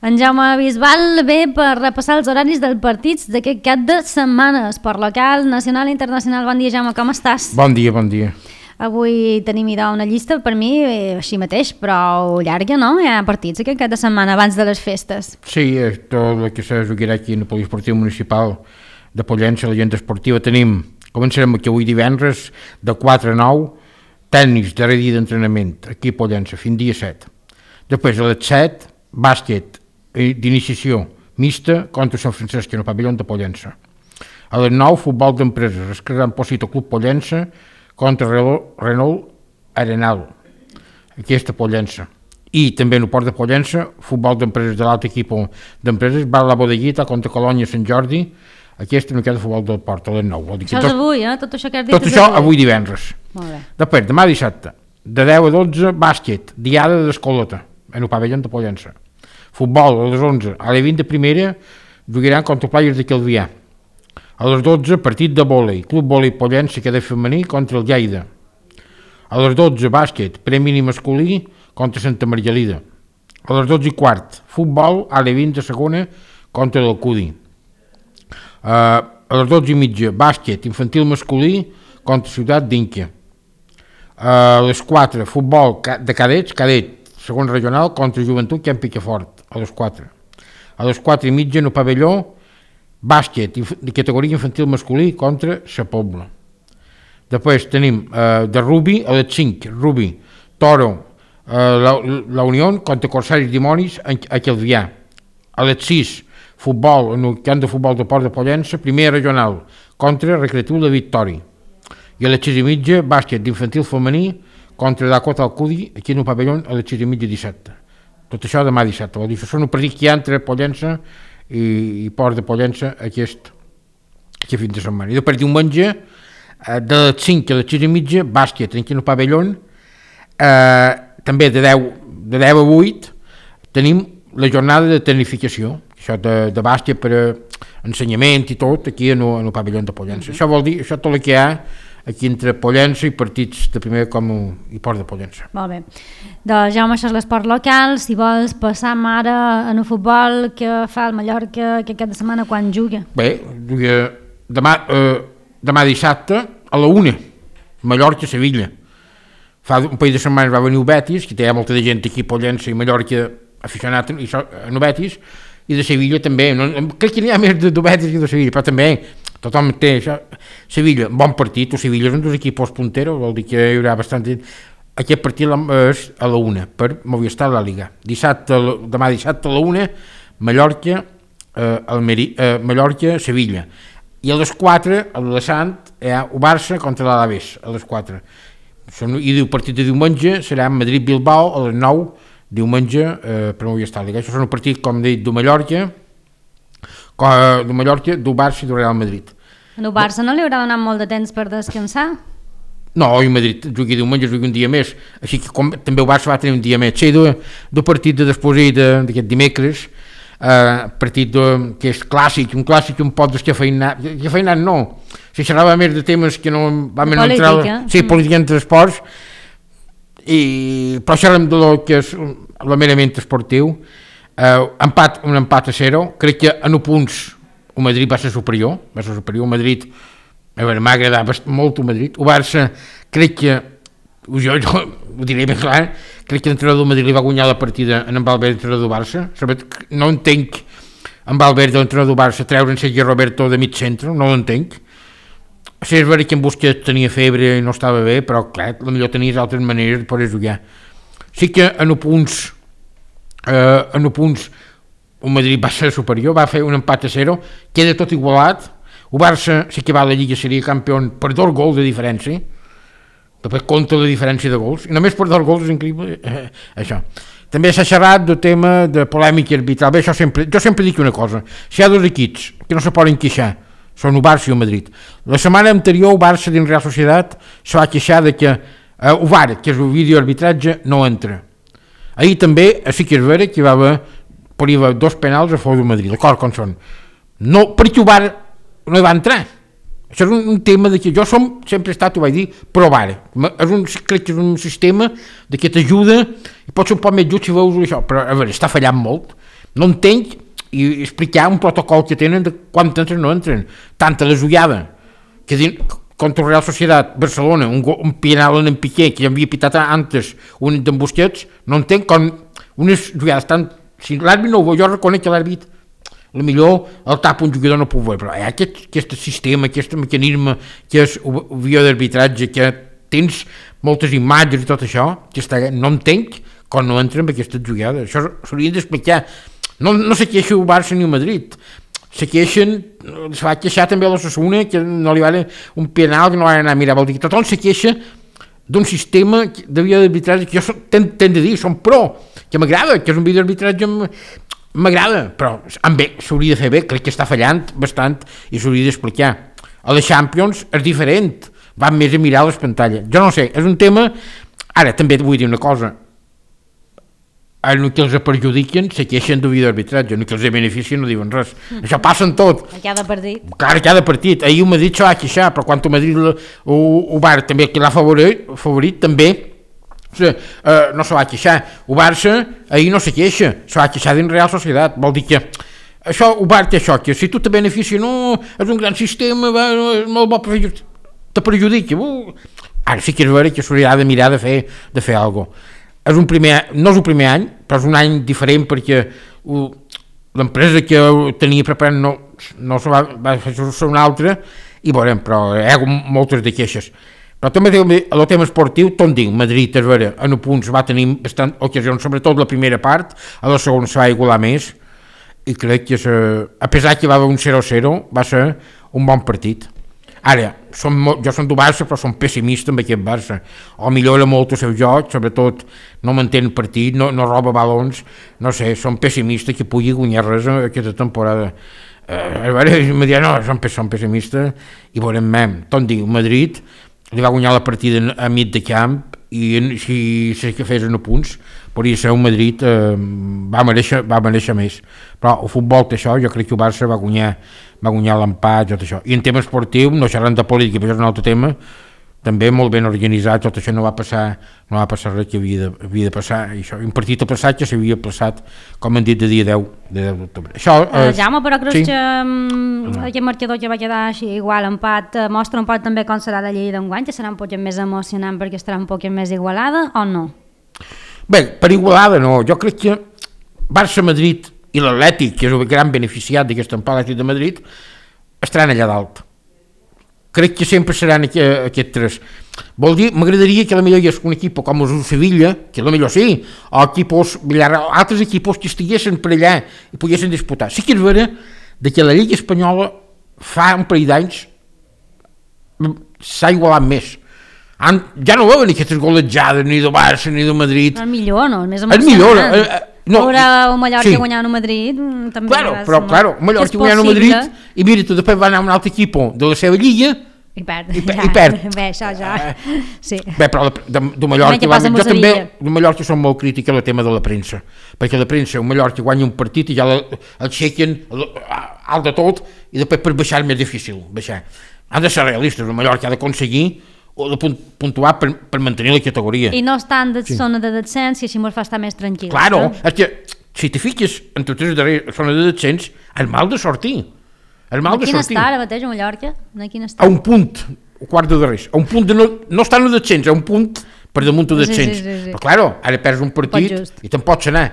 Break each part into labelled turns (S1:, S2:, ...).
S1: En Jaume Bisbal ve per repassar els horaris dels partits d'aquest cap de setmana, esport local, nacional i internacional. Bon dia, Jaume, com estàs?
S2: Bon dia, bon dia.
S1: Avui tenim una llista, per mi, així mateix, però llarga, no? Hi ha partits aquest cap de setmana abans de les festes.
S2: Sí, tot el que se jugarà aquí en el Poliesportiu Municipal de Pollença, l'agenda esportiva, començarem aquí avui divendres, de 4 a 9, tècnics, darrer dia d'entrenament, aquí a Pollença, fins dia 7. Després, a les 7, bàsquet d'iniciació mixta contra Sant Francesc en el pavelló de Pollença. A les 9, futbol d'empreses, es crearà Pocito Club Pollença contra Renault Arenal, aquesta Pollença. I també en el port de Pollença, futbol d'empreses de l'altre equip d'empreses, va a la Bodeguita contra Colònia Sant Jordi, aquesta no queda futbol del port a les 9.
S1: Això és avui, Tot això que has dit
S2: tot això avui divendres.
S1: Molt bé.
S2: Després, demà dissabte, de 10 a 12, bàsquet, diada d'Escolota, en el pavelló de Pollença. Futbol, a les 11, a les 20 de primera, jugaran contra Players de Calvià. A les 12, partit de vòlei, Club Vòlei Pollença, que de femení, contra el Lleida. A les 12, bàsquet, premi masculí, contra Santa Margalida. A les 12 i quart, futbol, a les 20 de segona, contra l'Alcudi. A les 12 i mitja, bàsquet, infantil masculí, contra Ciutat d'Inca. A les 4, futbol de cadets, segon regional, contra Joventut, que en Picafort, a les 4. A les 4 i mitja, en el pavelló, bàsquet, de categoria infantil masculí, contra Sa Pobla. Després tenim de rugby, a les 5, rugby, Toro, la Unió, contra Corsaris Dimonis, a Calvià. A les 6, futbol, en el camp de futbol de Port de Pollença, primera regional, contra Recreatiu de Victòria. I a les 6 i mitja, bàsquet d'infantil femení, contra Dakota Alcudi, aquí en el pavelló, a les 6 i mitja dissabte. Tot això demà dissabte. Vol dir, això són un partit que hi ha entre Pollença i Port de Pollença aquest fin de setmana. I després diumenge, de les 5 a les 6 i mitja, bàsquet, aquí en el pavelló, també de 10 a 8, tenim la jornada de tecnificació, això de bàsquet per ensenyament i tot, aquí en el pavelló de Pollença. Això vol dir, això tot el que hi ha aquí entre Pollença i partits de primer com i Port de Pollença.
S1: Molt bé. Doncs Jaume, això és l'esport local. Si vols passar ara en el futbol, què fa el Mallorca aquest cap de setmana quan juga?
S2: Bé, demà dissabte a la 1, Mallorca-Sevilla. Fa un parell de setmanes va venir el Betis, que té molta de gent aquí a Pollença i Mallorca aficionat en el Betis, i de Sevilla també. Crec que n'hi ha més de Betis que de Sevilla, però també tothom té això. Sevilla, bon partit, o Sevilla és un dels equipos punteros, vol dir que hi haurà bastant... Aquest partit és a la 1, per Movistar la Liga. Demà dissabte a la 1, Mallorca-Sevilla. I a les 4, a l'Alessant, hi ha el Barça contra l'Alaves, a les 4. I el partit de diumenge serà Madrid-Bilbao a les 9, diumenge per Movistar Liga. Això són un partit, com he dit, del Mallorca, del Barça i del Real Madrid.
S1: El Barça no li haurà donat molt de temps per descansar?
S2: No, i Madrid jugui diumenge, jugui un dia més, així que també el Barça va tenir un dia més. Sí, del partit de després d'aquest dimecres, partit que és clàssic, un pot descafeinat no, si xerrava més de temes que no vam entrar... Sí, política entre esports, però xerrem de lo que és el merament esportiu. Un empat a 0, crec que en punts el Madrid va ser superior, el Madrid m'ha agradat molt el Madrid, el Barça crec que, jo ho diré ben clar, crec que l'entrenador del Madrid li va guanyar la partida en Valverde, l'entrenador del Barça. No entenc en Valverde, l'entrenador del Barça, treure en Sergio Roberto de mig centre, no l'entenc. Sí, és veritat que en Busquets tenia febre i no estava bé, però clar, potser tenies altres maneres de poder jugar. Sí que en punts el Madrid va ser superior, va fer un empat a 0, queda tot igualat. El Barça, si que va a la Lliga, seria campió per 2 gols de diferència, després compta la diferència de gols, i només per 2 gols és increïble això. També s'ha xerrat del tema de polèmica arbitral. Bé, jo sempre dic una cosa, si hi ha 2 equips que no se poden queixar, són el Barça i el Madrid. La setmana anterior el Barça dins Real Societat se va queixar de que el VAR, que és el videoarbitratge, no entra. Ahir també, sí que és vera que hi va haver 2 penals a favor del Madrid, d'acord com són. No, perquè el VAR no hi va entrar. Això és un tema de que jo sempre he estat, ho vaig dir, provar. Crec que és un sistema que t'ajuda, i pot ser un poc més just si veus això, però a veure, està fallant molt. No entenc i explicar un protocol que tenen de quan entren o no entren. Tant a la jugada que contra la Real Societat Barcelona, un penal en Piqué que ja havia pitat antes, un d'en Busquets, no entenc com unes jugades tan... Si l'àrbit no ho veu, jo reconec que l'àrbit millor el tapa un jugador no puc veure, però aquest sistema, aquest mecanisme que és via d'arbitratge, que tens moltes imatges i tot això, no entenc com no entren en aquestes jugades. Això s'hauria d'explicar. No se queixa el Barça ni el Madrid, se va queixar també a l'Osasuna que no li va un penal que no va anar a mirar, vol dir que tothom se queixa d'un sistema de via d'arbitratge que jo tenc de dir, som pro, que m'agrada, que és un via d'arbitratge m'agrada, però s'hauria de fer bé, crec que està fallant bastant i s'hauria d'explicar. A la Champions és diferent, van més a mirar les pantalles. Jo no sé, és un tema... Ara, també vull dir una cosa, en el que els perjudiquen se queixen de via d'arbitratge, en el que els beneficien no diuen res. Això passa en tot.
S1: A cada partit.
S2: Clar, a cada partit. Ahir el Madrid se va queixar, però quan el Madrid ho va també, que l'ha favorit també, no se va queixar. El Barça ahir no se queixa, se va queixar dins Real Societat. Vol dir que això, el Barça té això, que si tu te beneficia, no, és un gran sistema, és molt bo, te perjudica. Ara sí que és vera que s'hauria de mirar de fer alguna cosa. No és el primer any, però és un any diferent perquè l'empresa que tenia preparant no se va fer una altra i veurem, però hi ha moltes de queixes. Però també el tema esportiu, tot dic, Madrid és vera, en punts va tenir bastant ocasions, sobretot la primera part, a la segona se va igualar més i crec que a pesar que va haver un 0-0 va ser un bon partit. Ara, jo som del Barça, però som pessimista amb aquest Barça. O millora molt el seu joc, sobretot no mantén partit, no roba balons, no sé, som pessimistes que pugui guanyar res aquesta temporada. A veure, em diuen, no, som pessimistes, i veurem tot diu, Madrid li va guanyar la partida a mig de camp, i si que fes en punts, podria ser un Madrid va mereixer més. Però el futbol té això, jo crec que el Barça va guanyar l'empat, tot això. I en tema esportiu, no xerrant de política, però és un altre tema, també molt ben organitzat, tot això no va passar res que havia de passar. I això, un partit aplaçat que s'havia aplaçat, com han dit, de dia 10 d'octubre.
S1: Jaume, però creus que aquest marcador que va quedar així igual, empat, mostra un poc també com serà la llei d'enguany, que serà un poc més emocionant perquè estarà un poc més igualada, o no?
S2: Bé, per igualada no, jo crec que Barça-Madrid i l'Atlètic, que és el gran beneficiat d'aquest empat, l'Atlètic de Madrid, estaran allà dalt. Crec que sempre seran aquests tres. Vol dir, m'agradaria que la millor hi hagués un equip com el Sevilla, que la millor sí, o altres equips que estiguessin per allà i poguessin disputar. Sí que és vera que la Lliga Espanyola fa un parell d'anys s'ha igualat més. Ja no veuen aquestes golejades ni de Barça ni de Madrid.
S1: El millor, no? El més emocionant. Veure el Mallorca guanyant a Madrid també.
S2: Claro, el Mallorca guanyant a Madrid i mira, tu després va anar a un altre equip de la seva lliga
S1: i perd. Bé, això ja. Sí.
S2: Bé, però de Mallorca jo també, de Mallorca som molt crític al tema de la premsa, perquè la premsa, el Mallorca guanya un partit i ja el xequen alt de tot i després per baixar és més difícil baixar. Han de ser realistes, el Mallorca ha d'aconseguir o de puntuar per mantenir la categoria.
S1: I no estan de zona de descens i així mos fa estar més tranquils.
S2: Claro, és que si te fiques entre tres darrers zona de descens, és mal de sortir.
S1: A quin està ara mateix a Mallorca?
S2: A un punt, un quart de darrers. A un punt de no estan a descens, a un punt per damunt de descens. Però claro, ara perds un partit i te'n pots anar.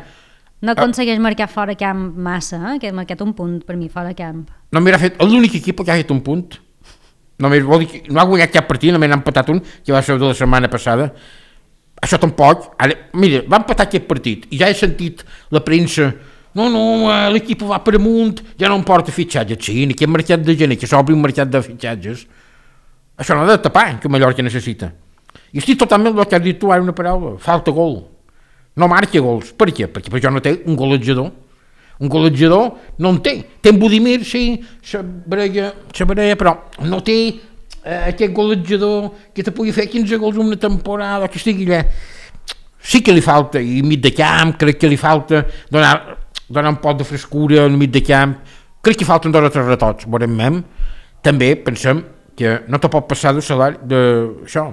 S1: No aconsegueix marcar fora camp massa, que ha marcat un punt per mi fora camp.
S2: No m'ha fet, l'únic equip que ha fet un punt. Només vol dir que no ha guanyat cap partit, només n'ha empatat un, que va ser de la setmana passada. Això tampoc. Ara, mira, va empatar aquest partit i ja he sentit la premsa, no, l'equip va per amunt, ja no em porta fitxatges. Sí, en aquest mercat de gener, que s'obri un mercat de fitxatges, això no ha de tapar, que Mallorca necessita. I estic totalment el que has dit tu ara una paraula, falta gol. No marca gols. Per què? Perquè per això no té un golejador. Un golejador no en té. Té en Budimir, sí, Sabrella, però no té aquest golejador que te pugui fer 15 gols una temporada, que estigui allà. Sí que li falta, i mig de camp, crec que li falta donar un poc de frescura al mig de camp. Crec que falten 2 o 3 retocs, veurem. També pensem que no te pot passar de salari d'això.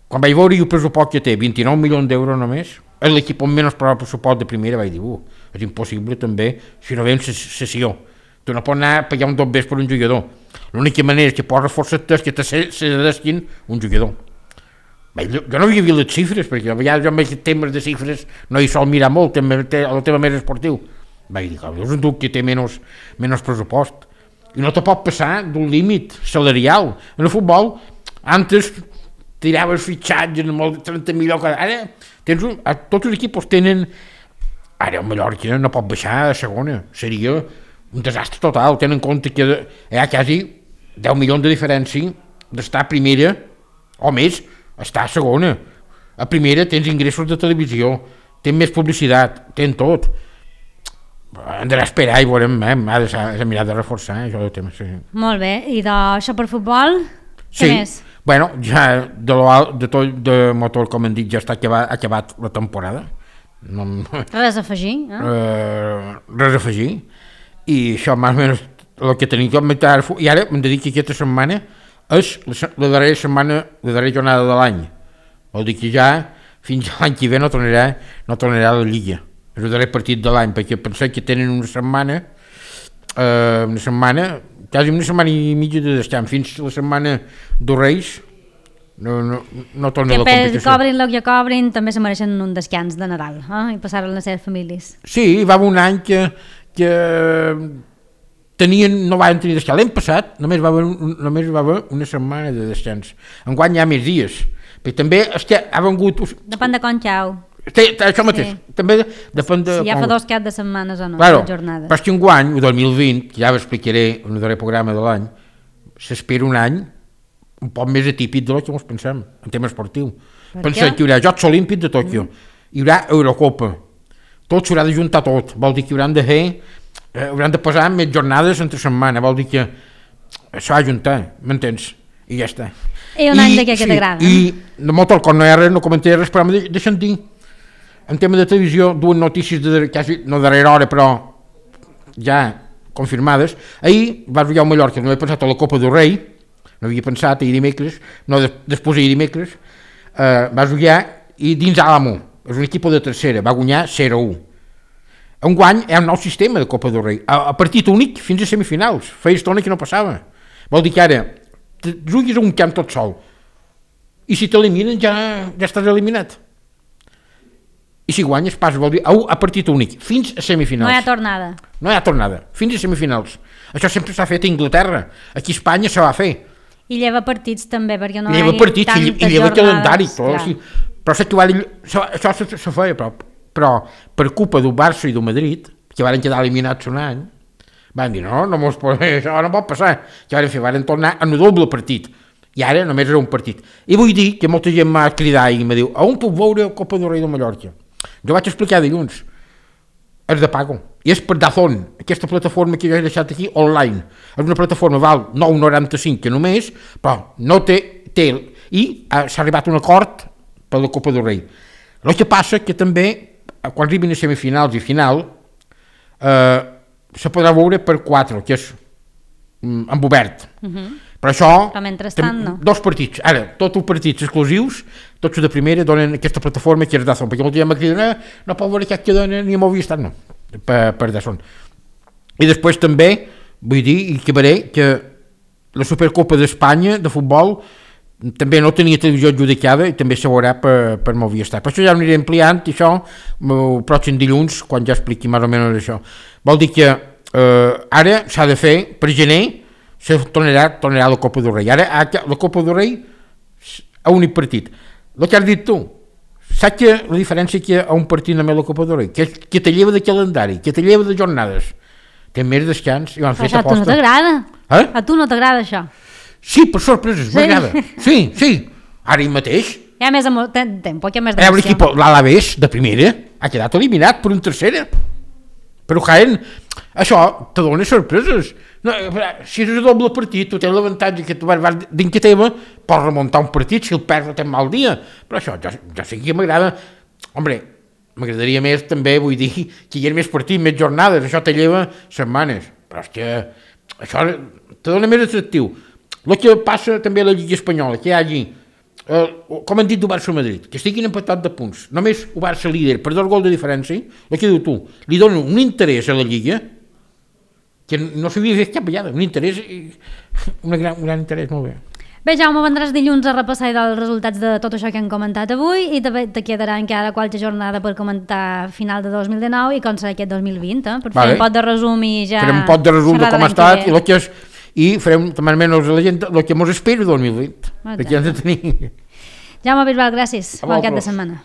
S2: Quan vaig veure el pressupost que té, 29 milions d'euros només, és l'equip amb menys pressupost de primera, vaig dir, és impossible també si no ve en sessió. Tu no pots anar a pagar un 2 per un jugador. L'única manera que pots reforçar-te és que te cedesquin un jugador. Bé, jo no havia vist les xifres, perquè a vegades jo amb temes de xifres no hi sol mirar molt, el tema més esportiu. Vaig dir, és un duc que té menys pressupost. I no te pot passar d'un límit salarial. En el futbol, antes tiraves fitxatges amb 30 milions, ara tots els equips tenen, ara el Mallorca no pot baixar a segona, seria un desastre total, tenen en compte que hi ha quasi 10 milions de diferència d'estar a primera o més, estar a segona. A primera tens ingressos de televisió, tens més publicitat, tens tot. Hem d'anar a esperar i veurem, ha de mirar de reforçar això del tema. Sí.
S1: Molt bé, i d'això per futbol, què més?
S2: Bueno, ja de motor, com hem dit, ja està acabat la temporada.
S1: Res a afegir?
S2: Res a afegir. I això més o menys el que tenim que i ara m'hem de dir que aquesta setmana és la darrera setmana, la darrera jornada de l'any. Vol dir que ja fins l'any que ve no tornarà a la Lliga. És el darrer partit de l'any, perquè pensem que tenen una setmana, quasi una setmana i mitja de descans, fins la setmana dels Reis no torna a la competició.
S1: Que cobrin el que cobrin també se mereixen un descans de Nadal, i passar-ho a les seves famílies.
S2: Sí, hi va haver un any que no van tenir descans. L'any passat només va haver una setmana de descans. Enguany hi ha més dies, però també ha vengut...
S1: Depèn de com xau.
S2: Això mateix, també depèn de...
S1: Si ja fa 2 caps de setmanes o no,
S2: claro,
S1: jornades.
S2: Però és que enguany, el 2020, que ja explicaré en el darrer programa de l'any, s'espera un any un poc més atípic de lo que ens pensem, en tema esportiu. Pensem que hi haurà Jocs Olímpics de Tòquio, hi haurà Eurocopa, tot s'haurà de juntar tot, vol dir que hauran de posar més jornades entre setmana, vol dir que s'ha de juntar, m'entens? I ja està.
S1: I un any d'aquest que t'agrada.
S2: I de motor, quan no hi ha res, no comentaré res, però deixa'm dir, en tema de televisió, dues notícies quasi no darrera hora, però ja confirmades. Ahir vas jugar al Mallorca, no he pensat a la Copa del Rei, no havia pensat ahir dimecres, no després ahir dimecres, vas jugar i dins Àlamo, és un equip de tercera, va guanyar 0-1. Enguany hi ha un nou sistema de Copa del Rei, a partit únic fins a semifinals, feia estona que no passava. Vol dir que ara juguis a un camp tot sol, i si t'eliminen ja estàs eliminat. I si guanyes passa, vol dir, a partit únic, fins a semifinals.
S1: No hi ha tornada.
S2: Fins a semifinals. Això sempre s'ha fet a Anglaterra. Aquí a Espanya se va fer.
S1: I lleva partits també, perquè no hi
S2: ha partits, i lleva calendari. Sí. Però això se feia, però per culpa del Barça i del Madrid, que van quedar eliminats un any, van dir, això no pot passar. Què van tornar a un doble partit. I ara només era un partit. I vull dir que molta gent m'ha cridat i m'ha dit, on puc veure Copa del Rei de Mallorca? Jo vaig explicar dilluns, és de pago, i és per Dazón, aquesta plataforma que jo he deixat aquí online. És una plataforma, val 9,95 que només, però no té, i s'ha arribat a un acord per la Copa del Rei. El que passa que també, quan arribin a semifinals i final, se podrà veure per 4, que és en obert. Però això, dos partits, ara, tots els partits exclusius, tots de primera donen aquesta plataforma que és Dazón, perquè molta gent m'ha cridat, no pot veure aquest que donen ni m'ho havia estat, no, per Dazón. I després també, vull dir, i acabaré, que la Supercopa d'Espanya de futbol també no tenia televisió adjudicada i també se veurà per Movistar. Per això ja ho aniré ampliant, i això, el pròxim dilluns, quan ja expliqui més o menys això. Vol dir que ara s'ha de fer, per gener, se tornarà a la Copa del Rei. Ara la Copa del Rei a un partit. El que has dit tu, saps que la diferència que a un partit només la Copa del Rei, que te lleva de calendari, que te lleva de jornades, té més descans i van fer aposta.
S1: A tu no t'agrada? A tu no t'agrada això?
S2: Sí, per sorpreses, m'agrada. Sí, ara mateix.
S1: Hi ha més tempo, hi ha més d'emoció.
S2: L'equip, l'Alavés, de primera, ha quedat eliminat per un tercera. Però Jaén, això te dona sorpreses. No, si és un doble partit, tu tens l'avantatge que tu vas dins que teva, pots remuntar un partit, si el perds tens mal dia. Però això, jo sé que m'agrada. Hombre, m'agradaria més també, vull dir, que hi ha més partits, més jornades, això te lleva setmanes. Però és que això te dona més atractiu. El que passa també a la Lliga Espanyola, que hi hagi com han dit del Barça-Madrid, que estiguin empatats de punts, només el Barça líder per 2 gols de diferència, el que diu tu, li donen un interès a la Lliga que no s'havia fet cap vegada, un interès, un gran interès, molt bé.
S1: Bé, Jaume, vendràs dilluns a repassar els resultats de tot això que hem comentat avui i te quedarà encara qualque jornada per comentar final de 2019 i com serà aquest 2020, per fer un pot de resum i ja...
S2: Farem un pot de resum de com ha estat i farem també almenys a la gent el que mos espera 2020, perquè hem de tenir...
S1: Jaume Bisbal, gràcies. Bon cap de setmana.